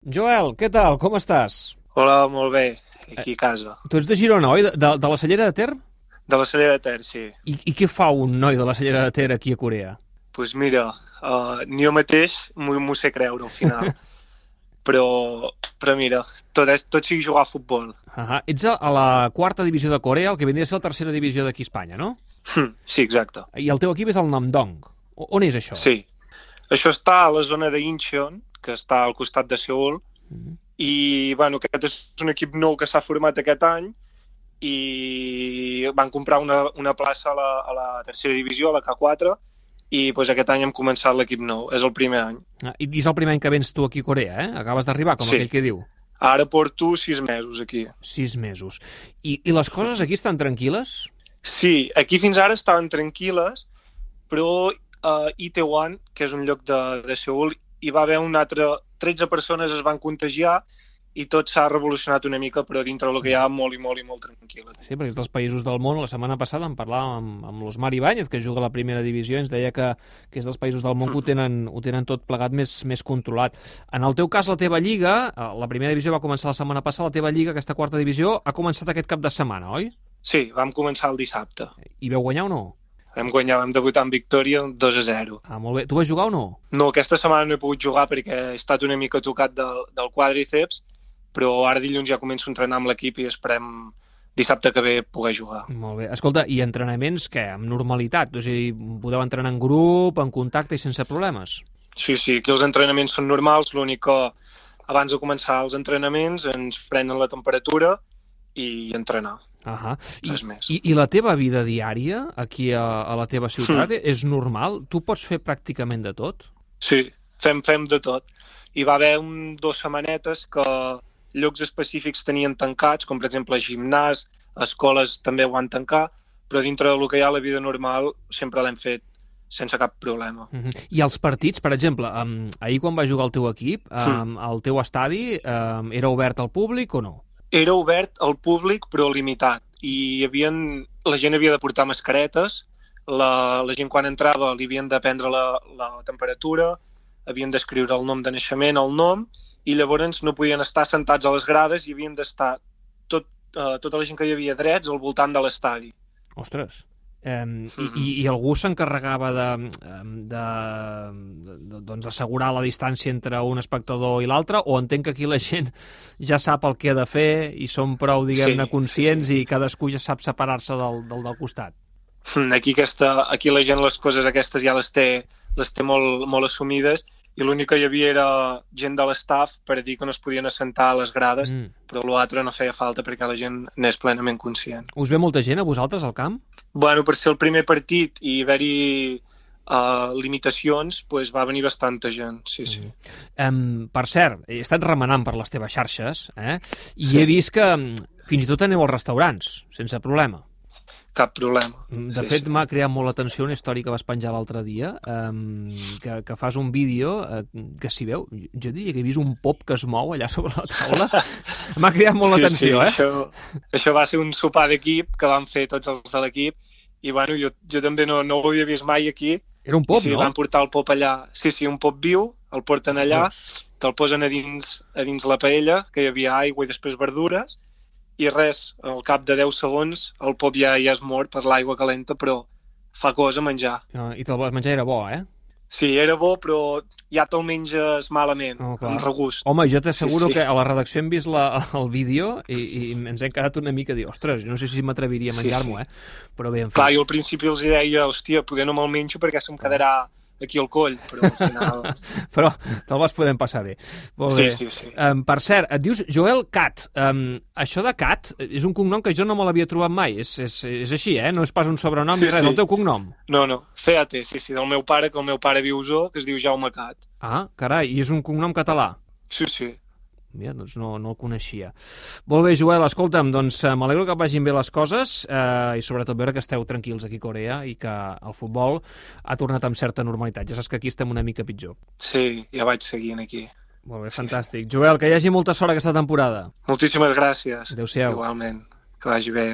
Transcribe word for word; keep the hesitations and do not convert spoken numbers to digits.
Joel, què tal? Com estàs? Hola, molt bé, aquí a casa. Tu ets de Girona, oi? De, de, de la Cellera de Ter? De la Cellera de Ter, sí. I, I què fa un noi de la Cellera de Ter aquí a Corea? Doncs pues mira, uh, ni jo mateix m'ho m'ho sé creure al final. però, però mira, tot, és, tot sigui jugar a futbol. Ah, ets a, a la quarta divisió de Corea, el que vindria a ser la tercera divisió d'aquí a Espanya, no? Hm, sí, exacte. I el teu equip és el Namdong. O, on és això? Sí. Això està a la zona de Incheon, que està al costat de Seul, Mm -hmm. i bueno, aquest és un equip nou que s'ha format aquest any i van comprar una, una plaça a la, a la tercera divisió, a la K quatre, i pues, aquest any hem començat l'equip nou, és el primer any. Ah, I és el primer any que vens tu aquí a Corea, eh? Acabes d'arribar, com sí. aquell que diu. Ara porto sis mesos aquí. Sis mesos. I, i les coses aquí estan tranquil·les? Sí, aquí fins ara estaven tranquil·les, però a uh, Itaewon, que és un lloc de, de Seul, hi va haver un altre... tretze persones es van contagiar i tot s'ha revolucionat una mica, però dintre del que hi ha molt i molt i molt tranquil. Sí, perquè és dels països del món. La setmana passada en parlàvem amb, amb l'Osmar Ibáñez, que juga a la primera divisió, i ens deia que, que és dels països del món que ho tenen, ho tenen tot plegat més, més controlat. En el teu cas, la teva lliga, la primera divisió va començar la setmana passada, la teva lliga, aquesta quarta divisió, ha començat aquest cap de setmana, oi? Sí, vam començar el dissabte. I veu guanyar o no? Vam guanyar, vam debutar en victòria dos a zero. Ah, molt bé. Tu vas jugar o no? No, aquesta setmana no he pogut jugar perquè he estat una mica tocat del, del quàdriceps, però ara dilluns ja començo a entrenar amb l'equip i esperem dissabte que ve poder jugar. Molt bé. Escolta, i entrenaments, què? Amb normalitat? O sigui, podeu entrenar en grup, en contacte i sense problemes? Sí, sí, aquí els entrenaments són normals, l'únic que abans de començar els entrenaments ens prenen la temperatura i entrenar. Uh-huh. I, més. i, I la teva vida diària aquí a, a la teva ciutat mm. és normal? Tu pots fer pràcticament de tot? Sí, fem, fem de tot. Hi va haver un, dues setmanetes que llocs específics tenien tancats, com per exemple gimnàs, escoles també ho van tancar, però dintre del que hi ha la vida normal sempre l'hem fet sense cap problema. Uh-huh. I els partits, per exemple, um, ahir quan va jugar el teu equip, um, el teu estadi um, era obert al públic o no? Era obert al públic, però limitat. I hi havien, la gent havia de portar mascaretes, la, la gent quan entrava li havien de prendre la, la temperatura, havien d'escriure el nom de naixement, el nom, i llavors no podien estar sentats a les grades i havien d'estar tot, uh, tota la gent que hi havia drets al voltant de l'estadi. Ostres! Um, mm-hmm. i, I algú s'encarregava de, de, de, doncs d'assegurar la distància entre un espectador i l'altre, o entenc que aquí la gent ja sap el que ha de fer i són prou, diguem-ne, sí, conscients sí, sí. i cadascú ja sap separar-se del, del, del costat? Aquí, aquesta, aquí la gent les coses aquestes ja les té, les té molt, molt assumides, i l'únic que hi havia era gent de l'estaf per dir que no es podien assentar a les grades, mm. però l'altre no feia falta perquè la gent n'és plenament conscient. Us ve molta gent a vosaltres al camp? Bueno, per ser el primer partit i haver-hi uh, limitacions, pues va venir bastanta gent, sí, sí. Mm. Um, per cert, he estat remenant per les teves xarxes, eh? I sí. He vist que fins i tot aneu als restaurants, sense problema. Cap problema. De sí, fet, sí. m'ha creat molt l'atenció una història que vas penjar l'altre dia, um, que, que fas un vídeo uh, que s'hi veu, jo diria que he vist un pop que es mou allà sobre la taula. M'ha creat molt sí, l'atenció, sí, eh? Això, això va ser un sopar d'equip que van fer tots els de l'equip, i bueno, jo, jo també no, no ho havia vist mai aquí. Era un pop, sí, no? Van portar el pop allà. Sí, sí, un pop viu, el porten allà, te'l posen a dins, a dins la paella, que hi havia aigua i després verdures, i res, al cap de deu segons el pop ja, ja es mor per l'aigua calenta, però fa cosa menjar. Uh, I te'l vas menjar, era bo, eh? Sí, era bo, però ja te'l menges malament, oh, amb regust. Home, jo t'asseguro sí, sí. que a la redacció hem vist la, el vídeo i, i ens hem quedat una mica a dir, ostres, no sé si m'atreviria a menjar-m'ho, sí, sí. eh? Però bé, en fi. Clar, jo al principi els deia, hòstia, poder no me'l menjo perquè se'm quedarà aquí al coll, però al final... però te'l vas poder passar bé. Molt bé. Sí, sí, sí. Um, per cert, et dius Joel Cat. Um, això de Cat és un cognom que jo no me l'havia trobat mai. És, és, és així, eh? No és pas un sobrenom sí, ni res, sí. el teu cognom. No, no, C A T, sí, sí, del meu pare, que el meu pare viu Osó, que es diu Jaume Cat. Ah, carai, i és un cognom català? Sí, sí. Mira, doncs no, no el coneixia. Molt bé, Joel, escolta'm, doncs m'alegro que vagin bé les coses eh, i sobretot veure que esteu tranquils aquí a Corea i que el futbol ha tornat amb certa normalitat. Ja saps que aquí estem una mica pitjor. Sí, ja vaig seguint aquí. Molt bé, fantàstic. Sí, sí. Joel, que hi hagi molta sort aquesta temporada. Moltíssimes gràcies. Adéu-siau. Igualment, que vagi bé.